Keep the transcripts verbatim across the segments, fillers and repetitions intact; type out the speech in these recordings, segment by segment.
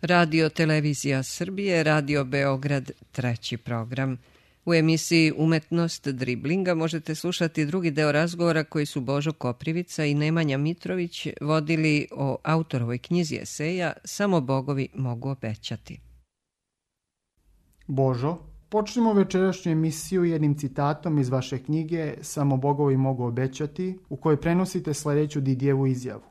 Radio Televizija Srbije, Radio Beograd, treći program. U emisiji Umetnost driblinga možete slušati drugi deo razgovora koji su Božo Koprivica i Nemanja Mitrović vodili o autorovoj knjizi eseja Samo bogovi mogu obećati. Božo, počnemo večerašnju emisiju jednim citatom iz vaše knjige Samo bogovi mogu obećati, u kojoj prenosite sljedeću Didijevu izjavu.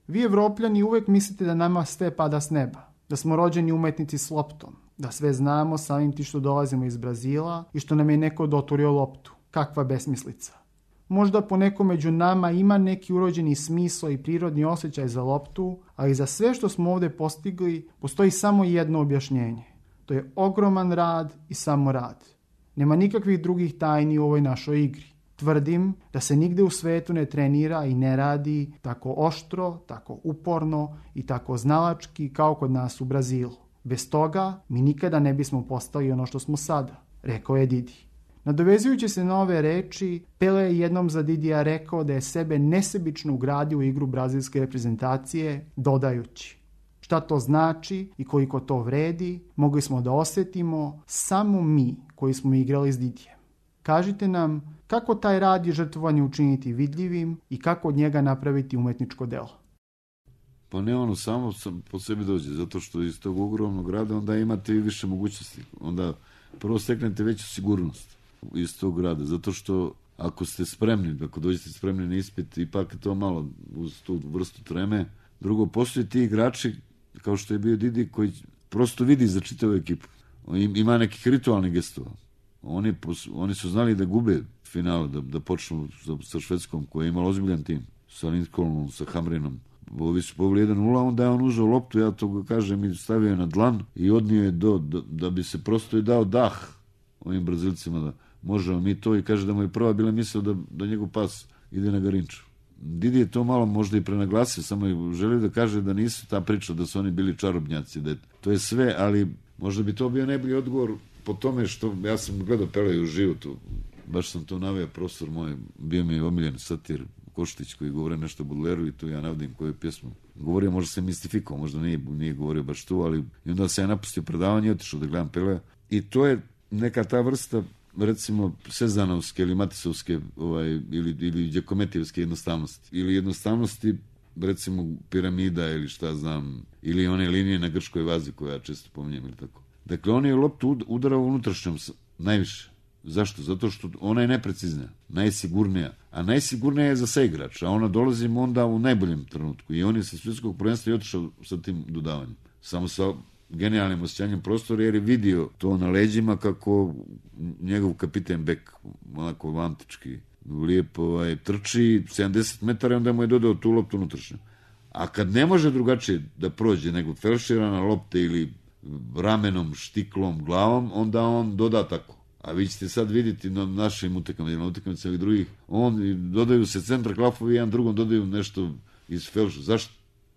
Vi Evropljani uvek mislite da nama sve pada s neba, da smo rođeni umetnici s loptom, da sve znamo samim ti što dolazimo iz Brazila i što nam je neko doturio loptu. Kakva besmislica. Možda po neko među nama ima neki urođeni smisao i prirodni osjećaj za loptu, ali za sve što smo ovdje postigli postoji samo jedno objašnjenje. To je ogroman rad i samo rad. Nema nikakvih drugih tajni u ovoj našoj igri. Tvrdim da se nigde u svetu ne trenira i ne radi tako oštro, tako uporno i tako znalački kao kod nas u Brazilu. Bez toga mi nikada ne bismo postali ono što smo sada, rekao je Didi. Nadovezujući se na ove reči, Pele je jednom za Didija rekao da je sebe nesebično ugradio u igru brazilske reprezentacije, dodajući: šta to znači i koliko to vredi, mogli smo da osjetimo samo mi koji smo igrali s Didijem. Kažite nam kako taj rad i žrtvovanje učiniti vidljivim i kako od njega napraviti umetničko delo. Pa ne ono samo po sebi dođe, zato što iz tog ogromnog rada onda imate i više mogućnosti. Onda prvo steknete veću sigurnost iz tog rada, zato što ako ste spremni, ako dođete spremni na ispit, ipak je to malo uz tu vrstu treme. Drugo, postoje ti igrači, kao što je bio Didi, koji prosto vidi za čitavu ekipu. Ima nekih ritualnih gestova. Oni, oni su znali da gube finale, da, da počnu sa, sa Švedskom, koja je imala ozbiljan tim, sa Lindholmom, sa Hamrinom. Ovi su poveli jedan nula, onda je on uzeo loptu, ja to kažem, i stavio je na dlan i odnio je do, do, da bi se prosto i dao dah ovim Brazilcima, da možemo mi to, i kaže da mu je prva bila mislio da, da njegov pas ide na Garinču. Didi je to malo možda i prenaglasio, samo je želio da kaže da nisu ta priča, da su oni bili čarobnjaci, da je, to je sve, ali možda bi to bio najbolji odgovor po tome što ja sam gledao Pele u životu, baš sam to naveo, profesor moj, bio mi je omiljen satir Koštić koji govore nešto o Baudelairu i tu ja navodim koju pjesmu. Govorio, možda se mistifikao, možda nije, nije govorio baš tu, ali i onda se ja napustio predavanje i otišao da gledam Pelea. I to je neka ta vrsta, recimo, sezanovske ili matisovske ovaj, ili, ili đakometijevske jednostavnosti. Ili jednostavnosti, recimo, piramida ili šta znam, ili one linije na grškoj vazi koje ja često pominjem ili tako. Dakle, on je loptu udarao unutrašnjom najviše. Zašto? Zato što ona je neprecizna, najsigurnija. A najsigurnija je za saigrač, a ona dolazi onda u najboljem trenutku. I on je sa svjetskog prvenstva i otišao sa tim dodavanjem. Samo sa genijalnim osjećanjem prostora, jer je vidio to na leđima kako njegov kapiten Bek, onako antički, lijepo ovaj, trči sedamdeset metara i onda mu je dodao tu loptu unutrašnju. A kad ne može drugačije da prođe nego felširana lopte ili ramenom, štiklom, glavom, onda on doda tako. A vi ćete sad vidjeti na našim utekama, na utekama celih drugih, on dodaju se centra klafovi, jedan drugom dodaju nešto iz felša. Zašto?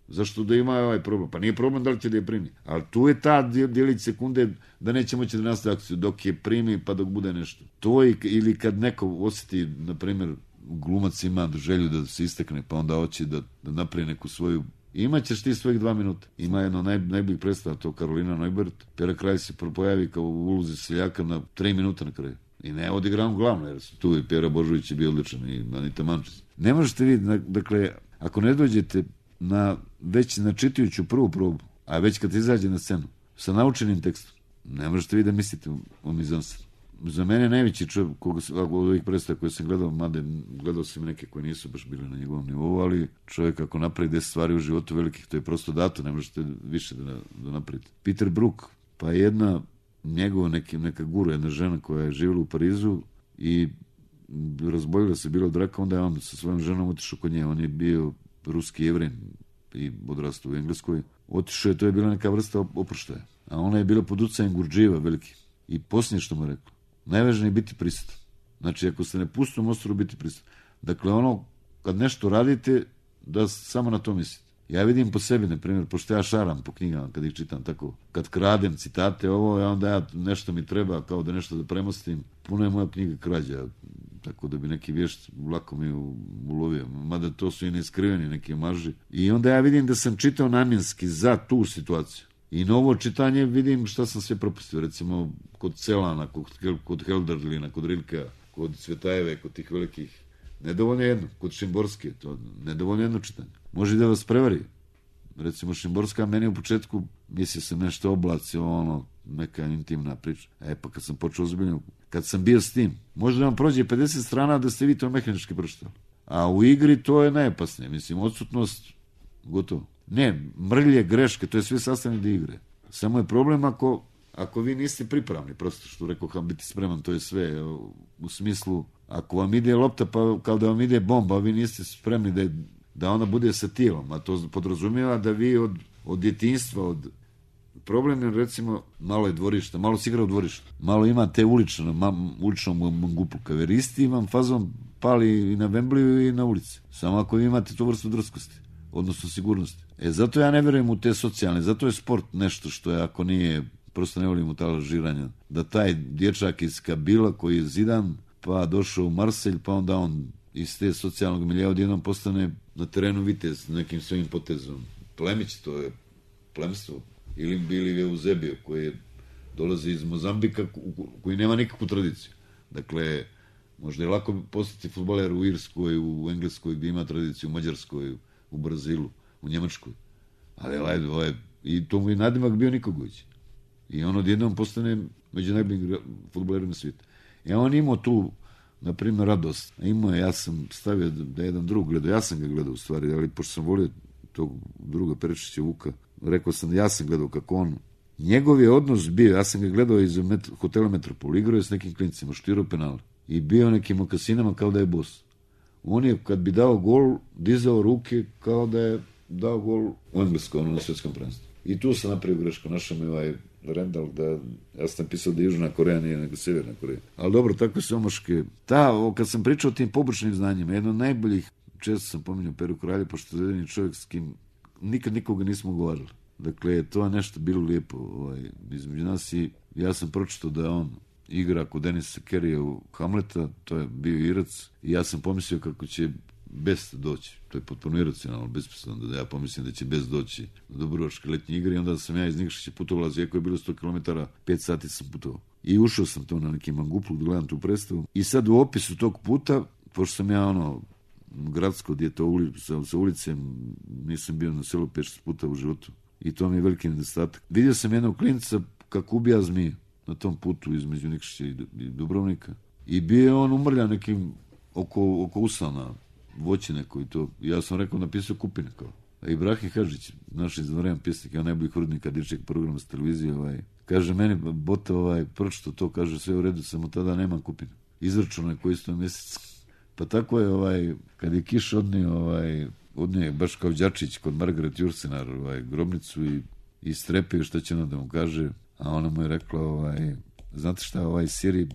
Zašto da ima ovaj problem? Pa nije problem da li će da je primi. Ali tu je ta djelić sekunde da neće moći da nastavi akciju dok je primi pa dok bude nešto. To je, ili kad neko osjeti, na primjer, glumac ima želju da se istekne, pa onda hoće da, da napravi neku svoju. Imaćeš ti svojih dva minuta. Ima jedno naj, najboljih predstava, to Karolina Neubert. Pera Kralj se pojavi kao u ulozi seljaka na tri minuta na kraju. I ne odigra on glavno, jer su tu i Pera Božović je bio odličan i Anita Mančić. Ne možete vidjeti, dakle, ako ne dođete na, već na čitajuću prvu probu, a već kad izađe na scenu, sa naučenim tekstom, ne možete vi da mislite o mizanstvu. Za mene najveći čovjek, koga, od ovih predstava koje sam gledao, mada gledao sam neke koje nisu baš bile na njegovom nivou, ali čovjek ako napravi deset stvari u životu velikih, to je prosto dato, ne možete više da, da napravite. Peter Brook, pa jedna njegova neki, neka guru, jedna žena koja je živjela u Parizu i razboljila se bila od raka, onda je on sa svojom ženom otišao kod nje, on je bio ruski jevrin i odrastao u Engleskoj. Otišao je, to je bila neka vrsta oproštaja, a ona je bila pod utjecajem Gurdžijeva veliki. I posljednje što mu je rekla, najvažnije je biti prisutan. Znači, ako ste na pustom ostrovu, biti prisutan. Dakle, ono, kad nešto radite, da samo na to mislite. Ja vidim po sebi, na primjer, pošto ja šaram po knjigama, kad ih čitam tako, kad kradem citate, ovo, ja onda ja nešto mi treba, kao da nešto da premostim, puno je moja knjiga krađa, tako da bi neki vješt lako mi ulovio. Mada to su i neiskriveni neki maži. I onda ja vidim da sam čitao namjenski za tu situaciju. I novo čitanje vidim šta sam sve propustio. Recimo, kod Celana, kod, kod Helderlina, kod Rilka, kod Cvetajeve, kod tih velikih. Nedovoljno jedno. Kod Šimborske, to nedovoljno jedno čitanje. Može da vas prevari. Recimo, Šimborska meni u početku mislio sam nešto oblaci, ono, neka intimna priča. E, pa kad sam počeo ozbiljno, kad sam bio s tim, možda vam prođe pedeset strana da ste vi to mehanički pročitali. A u igri to je najopasnije. Mislim, odsutnost, gotovo. Ne, mrlje, greške, to je sve sastavni dio igre. Samo je problem ako, ako vi niste pripravni, prosto što rekao, kam biti spreman, to je sve. U smislu, ako vam ide lopta, pa kao da vam ide bomba, a vi niste spremni da, je, da ona bude sa tijelom, a to podrazumijeva da vi od, od djetinjstva, od problem je, recimo, malo je dvorišta, malo se igra u dvorištu, malo ima te ulično, ma, uličnom mangupu, kaveristi vam fazom pali i na Wembliju i na ulici. Samo ako vi imate tu vrstu drskosti, odnosno sigurnosti. E, zato ja ne vjerujem u te socijalne, zato je sport nešto što je, ako nije, prosto ne volim u ta lažiranja, da taj dječak iz Kabila koji je Zidan, pa došao u Marselj, pa onda on iz te socijalnog milija odjednom postane na terenu vitez nekim svojim potezom. Plemić, to je plemstvo. Ili bili Eusebio koji dolazi iz Mozambika, koji nema nikakvu tradiciju. Dakle, možda je lako postati fudbaler u Irskoj, u Engleskoj gdje ima tradiciju, u Mađarskoj, u Brazilu, u Njemačkoj. Ali ovaj, ovaj, i to mu je nadimak bio Nikogović. I on odjednom postane među najboljim fudbalerima svijeta. I on imao tu, na primjer, radost. Imao je, ja sam stavio da jedan drug gledao, ja sam ga gledao u stvari, ali pošto sam volio tog druga Perečića Vuka, rekao sam da ja sam gledao kako on, njegov je odnos bio, ja sam ga gledao iz met, hotela Metropol, igrao je s nekim klincima, štirao penale i bio nekim mokasinama kao da je bos. On je, kad bi dao gol, dizao ruke kao da je dao gol u Engleskom, ono, na svjetskom prvenstvu. I tu sam napravio grešku, našao mi ovaj Rendal, da, ja sam pisao da je Južna Koreja, nije nego Sjeverna Koreja. Ali dobro, takve su omaške. Ta, o, kad sam pričao o tim pobočnim znanjima, jedno od najboljih, često sam pominjao Peru Kralja, pošto je jedini čovjek s kim nikad nikoga nismo govarali. Dakle, to je nešto bilo lijepo ovaj, između nas i ja sam pročitao da on igra kod Denisa Kerrija u Hamleta, to je bio Irac, i ja sam pomislio kako će Best doći. To je potpuno iracionalno, besmisleno da ja pomislim da će Best doći do Dubrovačke letnje igre i onda sam ja iz Nikšića putovao, iako je bilo sto kilometara, pet sati sam putovao. I ušao sam to na neki manguplu da gledam tu predstavu. I sad u opisu tog puta, pošto sam ja ono gradsko, gdje to uli, sa, sa ulice, nisam bio na selu pet šest puta u životu. I to mi je veliki nedostatak. Vidio sam jednog klinca kako ubija zmiju na tom putu između Nikšića i Dubrovnika. I bio je on umrljan nekim oko, oko usana, voće neko i to. Ja sam rekao, napisao Kupine kao. A Ibrahim Hadžić, naš izvanredan pjesnik, ja najbolji hudnika dječjeg programa s televizije, ovaj, kaže meni, bote, ovaj, pročito to, kaže, sve u redu, samo tada nemam Kupina. Izračunaj koji sto mjesec. Pa tako je, ovaj, kad je Kiš odnio, ovaj, odnio baš kao Đačić kod Margaret Jursenar, ovaj, grobnicu i, i strepio šta će ona da mu kaže, a ona mu je rekla, ovaj, znate šta, ovaj Siri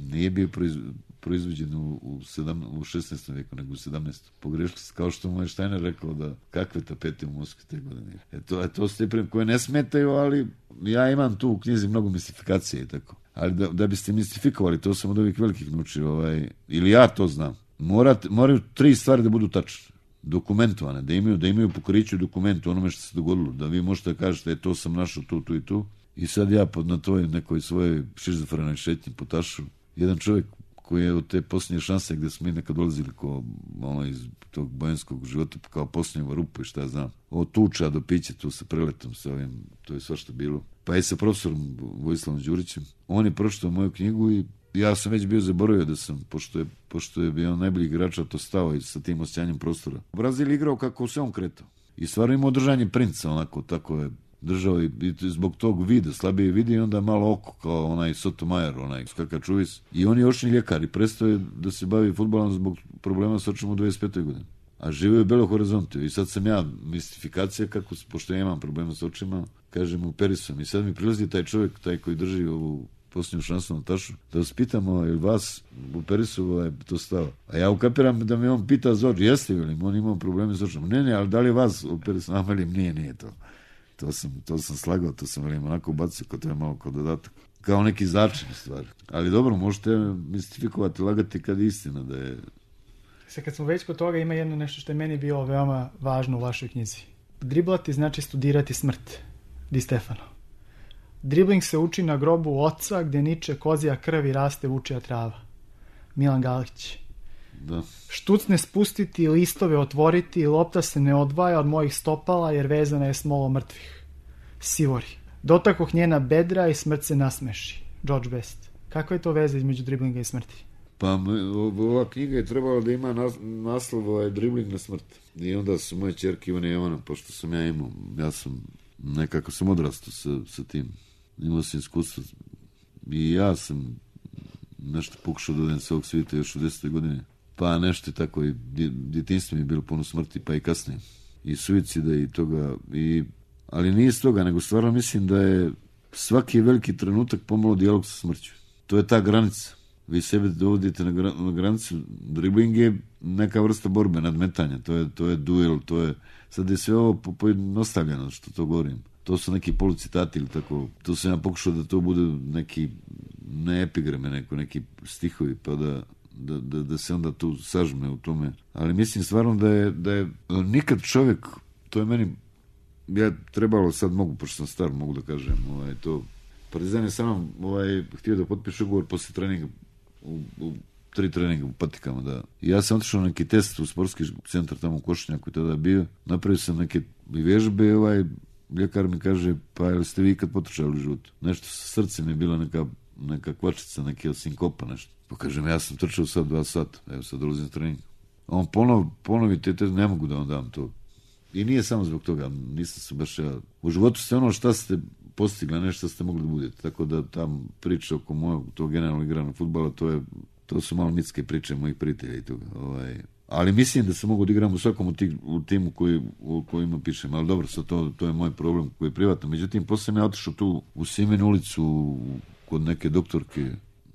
nije bio proiz, proizvođen u, u, sedam, u šesnaestom vijeku, nego u sedamnaestom. Pogrešili se, kao što mu je Štajner rekao da kakve tapete u Moskvi te godine. E to, e to ste prijem koje ne smetaju, ali ja imam tu u knjizi mnogo mistifikacije i tako. Ali da, da biste mistifikovali, to sam od ovih velikih naučio, ovaj, ili ja to znam, Morat, moraju tri stvari da budu tačne, dokumentovane, da imaju, da imaju pokriću dokumentu onome što se dogodilo, da vi možete da kažete, e, to sam našao tu, tu i tu, i sad ja pod na toj nekoj svojoj šizofrenoj šetnji po tašu, jedan čovjek koji je od te posljednje šanse gdje smo mi nekad dolazili ko, ono, iz tog bojanskog života kao posljednjeva rupa i šta ja znam, od tuča do pića tu sa preletom, sa ovim, to je svašta bilo. Pa i sa profesorom Vojislavom Đurićem, on je pročitao moju knjigu i ja sam već bio zaboravio da sam, pošto je, pošto je bio najbolji igrač, to stao i sa tim osjećanjem prostora. Brazil igrao kako se on kretao. I stvarno imao držanje princa, onako, tako je držao i, i zbog tog vida, slabije vidi i onda malo oko, kao onaj Sotomajer, onaj skakačuvis. I on je očni ljekar i prestao je da se bavi fudbalom zbog problema s očima u dvadeset petoj godini. A živio je u Belo Horizontu i sad sam ja, mistifikacija, kako, pošto ja imam problema s očima, kažem, operisom. I sad mi prilazi taj čovjek, taj koji drži ovu posljednju šansu na tašu, da vas pitamo, ili vas u Perisu ovaj, to stava. A ja ukapiram da me on pita za oči, jeste li, on imao probleme s očima. Ne, ne, ali da li vas u Perisu, a velim, nije, nije to. To sam, to sam slagao, to sam velim onako ubacio, kao to je malo kao dodatak. Kao neki začin stvari. Ali dobro, možete mistifikovati, lagati kad je istina da je... Sad kad smo već kod toga, ima jedno nešto što je meni bilo veoma važno u vašoj knjizi. Driblati znači studirati smrt. Di Stefano. Dribling se uči na grobu oca gdje niče kozija krv i raste vučija trava. Milan Galić. Da. Štucne spustiti, listove otvoriti, lopta se ne odvaja od mojih stopala jer vezana je smolo mrtvih. Sivori. Dotakoh njena bedra i smrt se nasmeši. George Best. Kakva je to veza između driblinga i smrti? Pa ova knjiga je trebala da ima nas, naslov ovaj dribling na smrt. I onda su moje čerke Ivana i Jovana, pošto sam ja imao, ja sam nekako sam odrastao sa, sa tim. Imao sam iskustvo i ja sam nešto pokušao da odem sa ovog svijeta još u desetoj godine. Pa nešto tako i djetinjstvo mi je bilo puno smrti, pa i kasnije. I suicida i toga. I, ali nije s toga, nego stvarno mislim da je svaki veliki trenutak pomalo dijalog sa smrću. To je ta granica. Vi sebe dovodite na, gra, na granicu. Dribling je neka vrsta borbe, nadmetanja. To je, to je duel, to je... Sad je sve ovo pojednostavljeno što to govorim. To su neki polucitati ili tako. To sam ja pokušao da to bude neki, ne epigrame, neko, neki stihovi, pa da, da, da, da se onda tu sažme u tome. Ali mislim stvarno da je, da je nikad čovjek, to je meni, ja trebalo sad mogu, pošto sam star, mogu da kažem, ovaj, to, Partizan je sa mnom ovaj, htio da potpiše ugovor poslije treninga, u, u tri treninga u patikama, da. I ja sam otišao na neki test u sportski centar tamo u Košinjaku i tada bio, napravio sam neke vježbe, ovaj, ljekar mi kaže, pa jel ste vi ikad potrčali u životu? Nešto sa srcem je bila neka, neka kvačica, neki sinkopa, nešto. Pa kažem, ja sam trčao sad dva sata, evo sad dolazim na trening. A on ponov, ponovi te, te, ne mogu da vam dam to. I nije samo zbog toga, nisam se baš ja... U životu ste ono šta ste postigli, ne šta ste mogli da budete. Tako da tam priča oko mojeg, tog generalnog igranog fudbala, to je, to su malo mitske priče mojih prijatelja i toga. Ovaj... Ali mislim da se mogu da igram u svakom u, tih, u timu koji, u kojima pišem. Ali dobro, sad to, to je moj problem koji je privatno. Međutim, posle sam ja otišao tu u Simenu ulicu kod neke doktorke,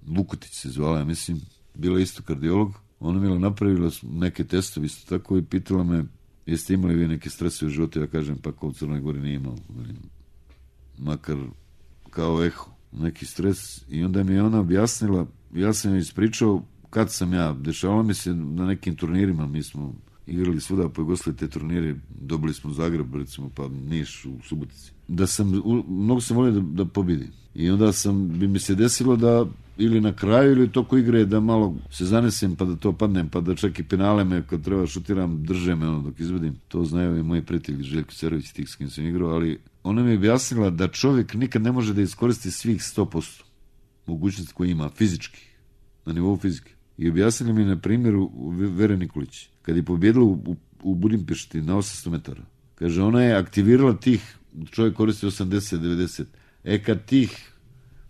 Vukotić se zvala, ja mislim, bila isto kardiolog. Ona mi je napravila neke testove isto tako i pitala me, jeste imali vi neke strese u životu? Ja kažem, pa kao u Crnoj Gori nije imao. Makar kao eho, neki stres. I onda mi je ona objasnila, ja sam joj ispričao kad sam ja, dešavalo mi se na nekim turnirima, mi smo igrali svuda po Jugoslaviji te turnire, dobili smo Zagreb, recimo, pa Niš u Subotici. Da sam, mnogo sam volio da, da pobidim. I onda sam, bi mi se desilo da ili na kraju ili toko igre da malo se zanesem pa da to padnem, pa da čak i penale me kad treba šutiram, drže me ono dok izvedim. To znaju i moji prijatelji Željko Cerović, tih s kim sam igrao, ali ona mi je objasnila da čovjek nikad ne može da iskoristi svih sto posto mogućnosti koje ima fizički, na nivou fizike. I objasnili mi na primjeru Vere Nikolić, kad je pobjedila u, u, u Budimpešti na osamsto metara. Kaže, ona je aktivirala tih, čovjek koristi osamdeset devedeset, e kad tih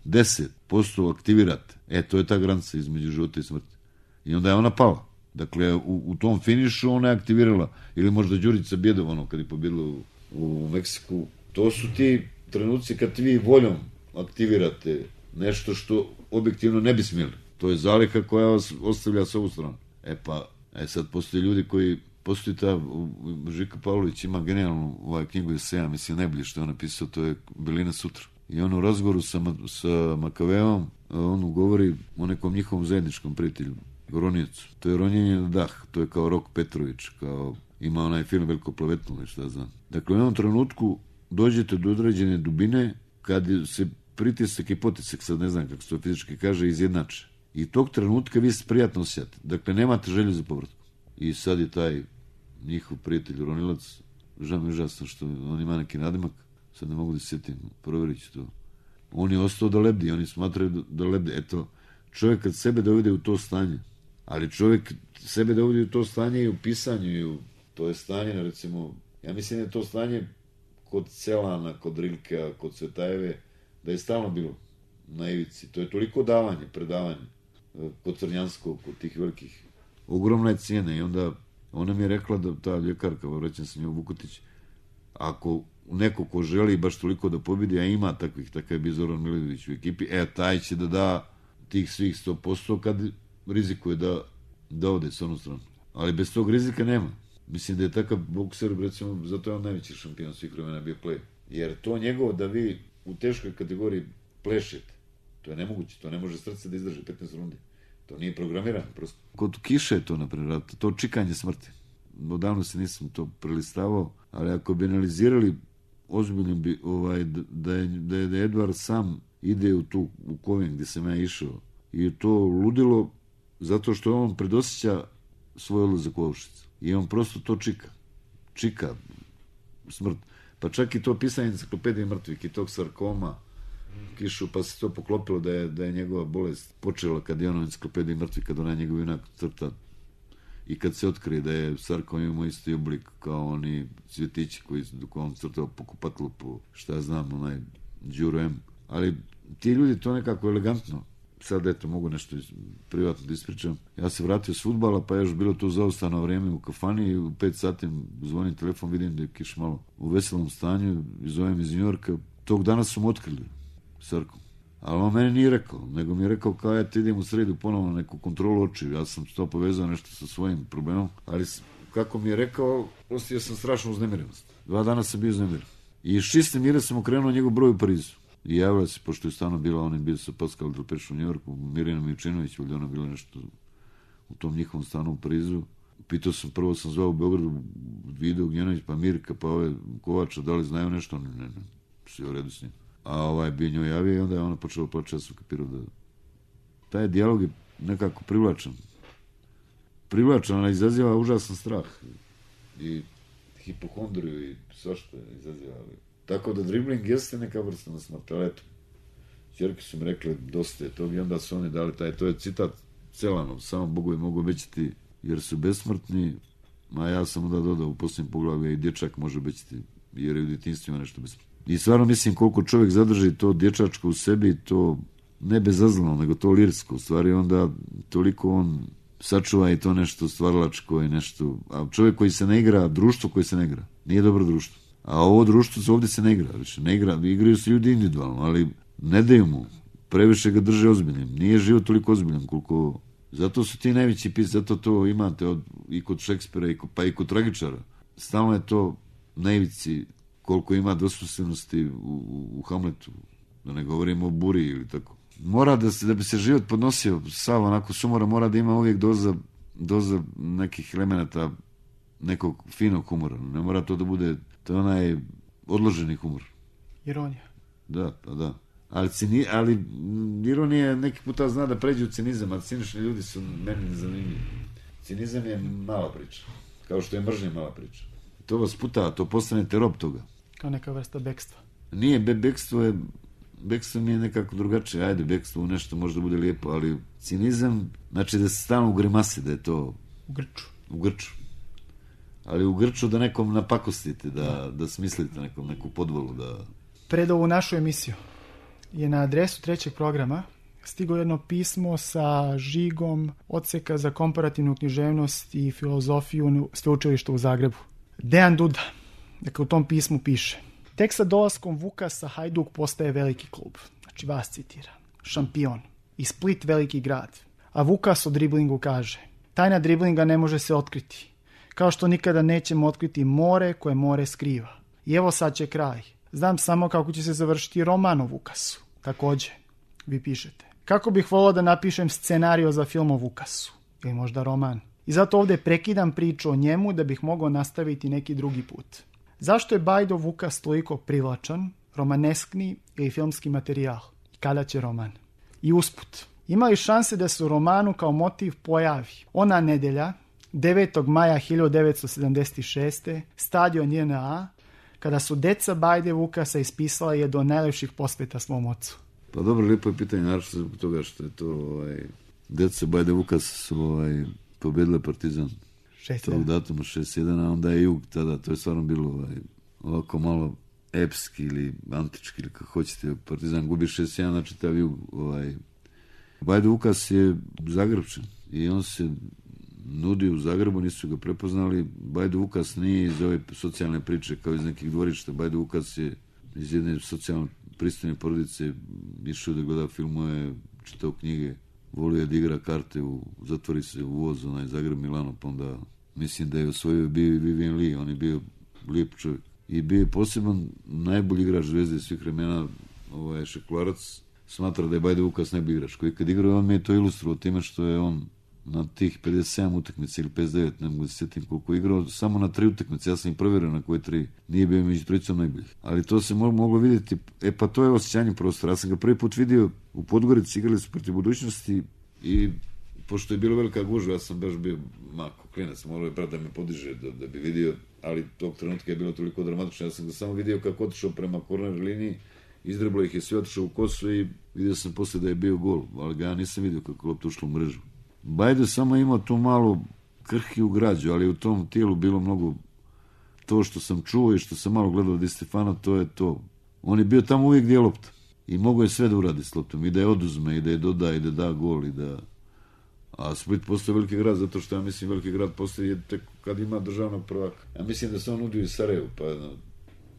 deset posto aktivirate, e to je ta granica između života i smrti. I onda je ona pala. Dakle, u, u tom finišu ona je aktivirala, ili možda Đurica Bjedov, ono, kad je pobjedila u, u Meksiku. To su ti trenuci kad vi voljom aktivirate nešto što objektivno ne bi smjeli. To je zaliha koja vas ostavlja s ovu stranu. E pa, e sad postoje ljudi koji, postoji ta, Žika Pavlović ima genijalnu ovaj knjigu eseja, mislim najbolje što je on napisao, to je Belina sutra. I on u razgovoru sa, sa Makaveom, on govori o nekom njihovom zajedničkom prijatelju, Ronjecu. To je ronjenje na dah, to je kao Rok Petrović, kao ima onaj film Veliko plavetnulo, šta znam. Dakle, u jednom trenutku dođete do određene dubine, kad se pritisak i potisak, sad ne znam kako se to fizički kaže, izjednače. I tog trenutka vi se prijatno osjećate. Dakle, nemate želju za povratku. I sad je taj njihov prijatelj Ronilac, žao mi je užasno što on ima neki nadimak, sad ne mogu da se sjetim, provjerit ću to. On je ostao da lebdi, oni smatraju da, da lebde. Eto, čovjek kad sebe dovede u to stanje, ali čovjek sebe dovede u to stanje i u pisanju, i u to je stanje, recimo, ja mislim da je to stanje kod Celana, kod Rilkea, kod Cvetajeve, da je stalno bilo na ivici. To je toliko davanje, predavanje, kod Crnjanskog, kod tih velikih. Ogromna je cijena i onda ona mi je rekla da ta ljekarka, vraćam se nju Vukotić, ako neko ko želi baš toliko da pobjedi, a ima takvih, takav je bio Zoran Milojević u ekipi, e, taj će da da tih svih sto posto kad rizikuje da, da ode s onu stranu. Ali bez tog rizika nema. Mislim da je takav bokser, recimo, zato je on najveći šampion svih vremena bio play. Jer to njegovo da vi u teškoj kategoriji plešete, to je nemoguće, to ne može srce da izdrži petnaest rundi. To nije programirano, prosto. Kod kiše je to, naprimjer, to čikanje smrti. Odavno se nisam to prelistavao, ali ako bi analizirali ozbiljno bi, ovaj, da je, da je, da je Edvard sam ide u tu, u Kovin gdje sam ja išao i to ludilo zato što on predosjeća svoj odlazak u Auschwitz. I on prosto to čika. Čika smrt. Pa čak i to pisanje enciklopedije mrtvih i tog sarkoma kišu, pa se to poklopilo da je, da je njegova bolest počela kad je ono enciklopediji mrtvih, kad ona njegov junak crta i kad se otkrije da je sarkom imao isti oblik kao oni cvjetići koji dok on crtao po kupatlu, po šta ja znam, onaj Đuro M. Ali ti ljudi to nekako elegantno, sad eto mogu nešto privatno da ispričam. Ja se vratio s fudbala, pa je još bilo to zaostano vrijeme u kafani i u pet sati zvonim telefon, vidim da je Kiš malo u veselom stanju i zovem iz Njujorka. Tog dana su mu otkrili sarkom. Ali on meni nije rekao, nego mi je rekao kao ja ti idem u sredu ponovno na neku kontrolu očiju. Ja sam to povezao nešto sa svojim problemom, ali kako mi je rekao, ostio sam strašno uznemirenost. Dva dana sam bio uznemiren. I iz čiste mire sam okrenuo njegov broj u Parizu. I javila se, pošto je stano bila, on je bio sa Pascal Delpech u Njujorku, Mirjana Mičinović, ovdje ona bila nešto u tom njihovom stanu u Parizu. Pitao sam, prvo sam zvao u Beogradu, Video Gnjenović, pa Mirka, pa ove Kovača, da li znaju nešto? Ne, ne, ne, sve u redu s njim. A ovaj bio njoj javio i onda je ona počela plaći, ja sam kapirao da taj dijalog je nekako privlačan. Privlačan, ali izaziva užasan strah. I hipohondriju i svašta izaziva. Tako da dribling jeste neka vrsta na smrt, ali eto, ćerke su mi rekli dosta je tog i onda su oni dali taj, to je citat Celanov, samo Bogovi mogu obećati jer su besmrtni, a ja sam onda dodao u posljednjem poglavlju i dječak može obećati jer je u djetinjstvima nešto besmrtno. I stvarno mislim koliko čovjek zadrži to dječačko u sebi, to ne bezazleno, nego to lirsko, u stvari onda toliko on sačuva i to nešto stvaralačko i nešto, a čovjek koji se ne igra, društvo koji se ne igra, nije dobro društvo. A ovo društvo se ovdje se ne igra, više ne igra, igraju se ljudi individualno, ali ne daju mu, previše ga drže ozbiljnim, nije život toliko ozbiljan koliko, zato su ti najveći pisci, zato to imate od, i kod Šekspira, i kod, pa i kod tragičara, stalno je to najvici koliko ima dvosmislenosti u, u, u Hamletu, da ne govorimo o Buri ili tako. Mora da se, da bi se život podnosio sav onako sumora, mora da ima uvijek doza, doza nekih elemenata nekog finog humora, ne mora to da bude, to je onaj odloženi humor. Ironija. Da, pa da. Ali, cini, ali ironija neki puta zna da pređe u cinizam, a cinični ljudi su meni zanimljivi. Cinizam je mala priča, kao što je mržnja mala priča. To vas puta, to postanete rob toga. Kao neka vrsta bekstva. Nije, be, bekstvo je, bekstvo mi je nekako drugačije, ajde, bekstvo u nešto možda bude lijepo, ali cinizam, znači da se stalno u grimasi, da je to... U grču. U grču. Ali u grču da nekom napakostite, da, da smislite nekom neku podvolu, da... Pred ovu našu emisiju je na adresu trećeg programa stigo jedno pismo sa žigom odseka za komparativnu književnost i filozofiju sveučilišta u Zagrebu. Dejan Duda, dakle u tom pismu piše: tek sa dolaskom Vukasa Hajduk postaje veliki klub. Znači vas citira. Šampion. I Split veliki grad. A Vukas o driblingu kaže: tajna driblinga ne može se otkriti. Kao što nikada nećemo otkriti more koje more skriva. I evo sad će kraj. Znam samo kako će se završiti roman o Vukasu. Također, vi pišete: kako bih volao da napišem scenario za film o Vukasu. Ili možda roman. I zato ovdje prekidam priču o njemu da bih mogao nastaviti neki drugi put. Zašto je Bajdo Vukas toliko privlačan, romaneskni ili filmski materijal? I kada će roman? I usput, ima li šanse da se u romanu kao motiv pojavi ona nedelja, devetog maja hiljadu devetsto sedamdeset šeste. stadion J N A, kada su deca Bajde Vukasa ispisala jedno od najlepših posveta svom ocu? Pa dobro, lijepo je pitanje, naravno zbog toga što je to, ovaj, deca Bajde Vukasa su ovaj, pobedile Partizan tog datuma šest jedan, a onda je Jug tada, to je stvarno bilo ovaj, ovako malo epski ili antički ili kako hoćete, Partizan gubi šest jedan, znači ta Jug, ovaj, Bajde Vukas je Zagrebčan i on se nudi u Zagrebu, nisu ga prepoznali. Bajde Vukas nije iz ove socijalne priče kao iz nekih dvorišta. Bajde Vukas je iz jedne socijalne pristojne porodice, išao da gleda filmove, čitao knjige, volio da igra karte, u, zatvori se u voz, onaj Zagreb Milano, pa onda mislim da je osvojio bio i Vivian Lee, on je bio lijep čovjek. I bio je poseban najbolji igrač Zvezde svih vremena, ovaj Šekularac smatra da je Bajde Vukas najbolji igrač, koji kad igrao on mi je to ilustrovao time što je on na tih pedeset sedam utakmica ili pedeset devet, ne mogu da se sjetim koliko je igrao, samo na tri utakmice, ja sam ih provjerio na koje tri, nije bio među trojicom najboljih. Ali to se moglo vidjeti, e pa to je osjećanje prostora. Ja sam ga prvi put vidio u Podgorici, igrali su protiv Budućnosti i pošto je bilo velika gužva, ja sam baš bio mako klinac, morao je brat da me podiže da, da bi vidio, ali tog trenutka je bilo toliko dramatično, ja sam ga samo vidio kako otišao prema korner liniji, izdreblo ih je sve, otišao u kosu i vidio sam posle da je bio gol, ali ga ja nisam vidio kako je lopta ušla u mrežu. Bajde samo imao tu malu krhkiju građu, ali u tom tijelu bilo mnogo to što sam čuo i što sam malo gledao od Di Stefano, to je to. On je bio tamo uvijek gdje je lopta i mogao je sve da uradi s loptom, i da je oduzme, i da je doda, i da da gol, i da... A Split postoje veliki grad, zato što ja mislim veliki grad postoje tek kad ima državnog prvaka. Ja mislim da se on nudio i Sarajevu, pa no,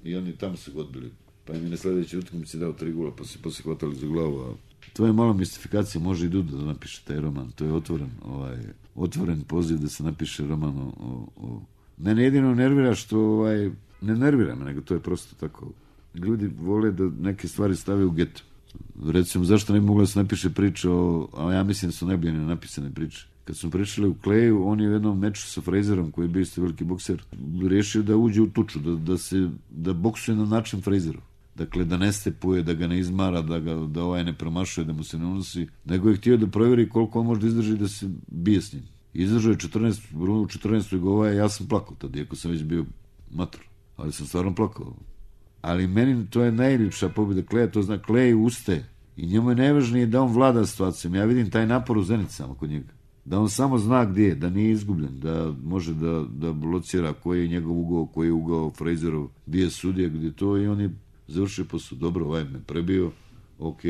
i oni tamo su god bili. Pa im je na sljedeći utakmici dao tri gola, pa se poslije hvatali za glavu. A to je malo mistifikacija, može i Duda da napiše taj roman. To je otvoren, ovaj, otvoren poziv da se napiše roman o... o, o... Mene jedino nervira što, ovaj, ne nervira me, nego to je prosto tako. Ljudi vole da neke stvari stave u geto. Recimo, zašto ne bi mogla da se napiše priča o, ali ja mislim da su najbolje napisane priče. Kad smo pričali u Kleju, on je u jednom meču sa Frazerom, koji je bio isto veliki bokser, rešio da uđe u tuču, da, da se, da boksuje na način Frazerov. Dakle, da ne stepuje, da ga ne izmara, da, ga, da ovaj ne promašuje, da mu se ne unosi, nego je htio da provjeri koliko on može da izdrži da se bije s njim. Izdržao je četrnaest, u četrnaestoj gova, ja sam plakao tad, iako sam već bio mator, ali sam stvarno plakao. Ali meni to je najljepša pobjeda Kleja, to zna Klej ustaje i njemu je najvažnije da on vlada situacijom. Ja vidim taj napor u Zenicama kod njega. Da on samo zna gdje je, da nije izgubljen, da može da, da locira koji je njegov ugao, koji je ugao Frazerov, gdje je sudija, gdje to, i on je završio posao. Dobro, ovaj me prebio, ok,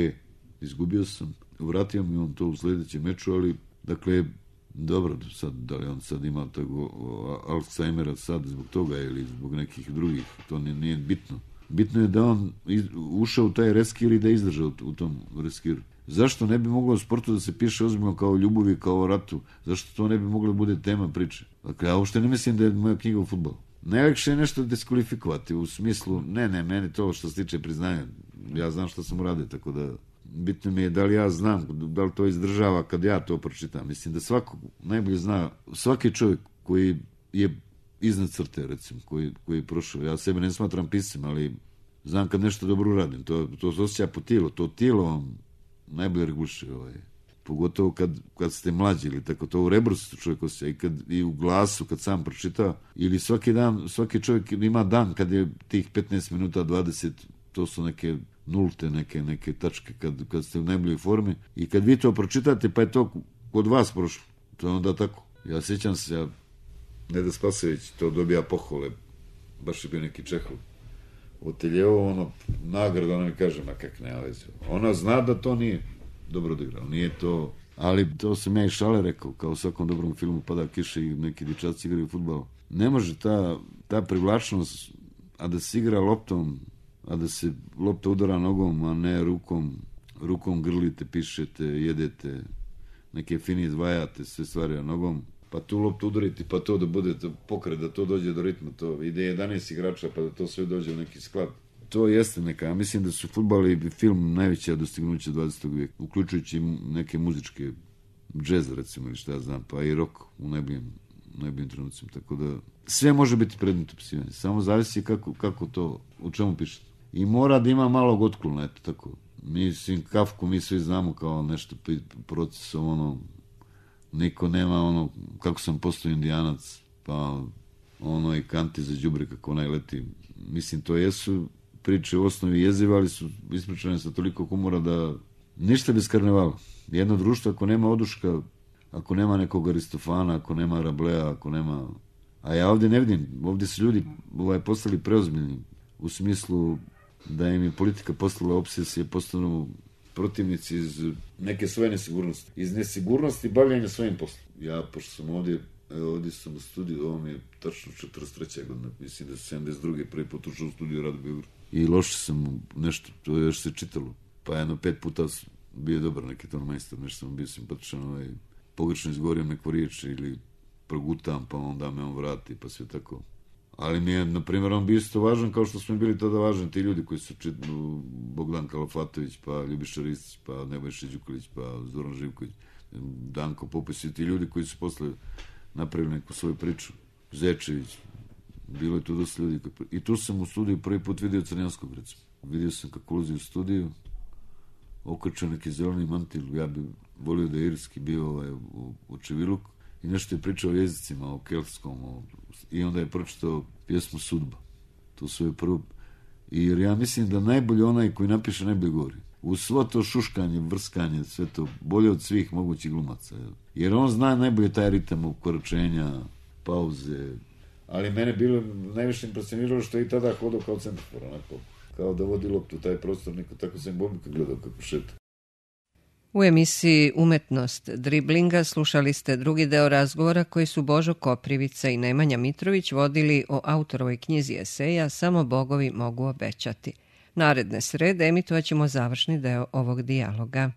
izgubio sam, vratio mi on to u sljedećem meču, ali dakle, dobro, sad, da li on sad ima tako Alzheimera sad zbog toga ili zbog nekih drugih, to nije, nije bitno. Bitno je da on ušao u taj reskir i da izdržao u tom reskiru. Zašto ne bi moglo u sportu da se piše ozbiljno kao o ljubavi, kao o ratu? Zašto to ne bi moglo da bude tema priče? Dakle, ja uopšte ne mislim da je moja knjiga o fudbalu. Najlakše je nešto diskvalifikovati u smislu, ne, ne, meni to što se tiče priznanja, ja znam što sam uradio, tako da bitno mi je da li ja znam, da li to izdržava kad ja to pročitam. Mislim da svako najbolje zna, svaki čovjek koji je iznad crte, recimo, koji, koji je prošao, ja sebe ne smatram piscem, ali znam kad nešto dobro uradim, to, to se osjeća po tijelu, to tijelo vam najbolje reguliše, ovaj. Pogotovo kad, kad ste mlađi ili tako, to u rebru se čovjek osjeća i, kad, i u glasu kad sam pročita, ili svaki dan, svaki čovjek ima dan kad je tih petnaest minuta, dvadeset, to su neke nulte, neke, neke tačke kad, kad ste u najboljoj formi i kad vi to pročitate pa je to kod vas prošlo, to je onda tako. Ja sjećam se, ja Neda Spasović to dobija pohvale, baš je bio neki Čehov, Oteljevo, ono, nagrada, ona mi kaže, ma kak ne, ali ona zna da to nije dobro odigrao, nije to, ali to sam ja i šale rekao, kao u svakom dobrom filmu pada kiša i neki dječaci igraju fudbal. Ne može ta, ta privlačnost, a da se igra loptom, a da se lopta udara nogom, a ne rukom, rukom grlite, pišete, jedete, neke fini izdvajate, sve stvari nogom, pa tu loptu udariti, pa to da bude pokret, da to dođe do ritma, to ide jedanaest igrača, pa da to sve dođe u neki sklad. To jeste neka, ja mislim da su fudbal i film najveća dostignuća dvadesetog vijeka, uključujući neke muzičke, džez recimo ili šta ja znam, pa i rock u najboljim, najboljim trenucima, tako da sve može biti predmet opisivanja, samo zavisi kako, kako to, u čemu pišete. I mora da ima malog otklona, eto tako. Mislim, Kafku mi svi znamo kao nešto procesom, ono, niko nema ono, kako sam postao Indijanac, pa ono i kanti za đubre kako onaj leti. Mislim, to jesu priče u osnovi jezive, ali su ispričane sa toliko humora da ništa bez karnevala. Jedno društvo, ako nema oduška, ako nema nekog Aristofana, ako nema Rablea, ako nema... A ja ovdje ne vidim, ovdje su ljudi ovaj, postali preozbiljni u smislu da im je politika postala obsesija, postanu protivnici iz neke svoje nesigurnosti. Iz nesigurnosti bavljanja svojim poslom. Ja, pošto sam ovdje, ovdje sam u studiju, ovo mi je tačno četrdeset treća godina, mislim da se sedamdeset druge prvi put ušao u studiju Rado Beograd. I loše sam nešto, to je još se čitalo. Pa jedno pet puta bio dobar neki ton majstor, nešto sam bio simpatičan, ovaj, pogrešno izgovorio neku riječ ili progutam, pa onda me on vrati, pa sve tako. Ali mi je, na primjer, on bio isto važan kao što smo bili tada važni ti ljudi koji su čitali, Bogdan Kalafatović, pa Ljubiša Ristić, pa Nebojša Đukalić, pa Zoran Živković. Danko Popis i ti ljudi koji su posle napravili neku svoju priču. Zečević, bilo je tu dosta ljudi. I tu sam u studiju prvi put vidio Crnjanskog, recimo. Vidio sam kako ulazi u studiju, okačao neki zeleni mantil, ja bi volio da je irski bio ovaj, u, u Čiviluk, i nešto je pričao o jezicima, o keltskom, o, i onda je pročitao pjesmu Sudba. To su je prvo. I jer ja mislim da najbolje onaj koji napiše najbolje govori. U svo to šuškanje, vrskanje, sve to, bolje od svih mogućih glumaca. Jer on zna najbolje taj ritam ukoračenja, pauze. Ali mene bilo najviše impresioniralo što je i tada hodao kao centrofor, onako, kao da vodi loptu taj prostor, neko tako sam Bobika gledao kako šeta. U emisiji Umetnost driblinga slušali ste drugi deo razgovora koji su Božo Koprivica i Nemanja Mitrović vodili o autorovoj knjizi eseja Samo bogovi mogu obećati. Naredne srede emitovat ćemo završni deo ovog dijaloga.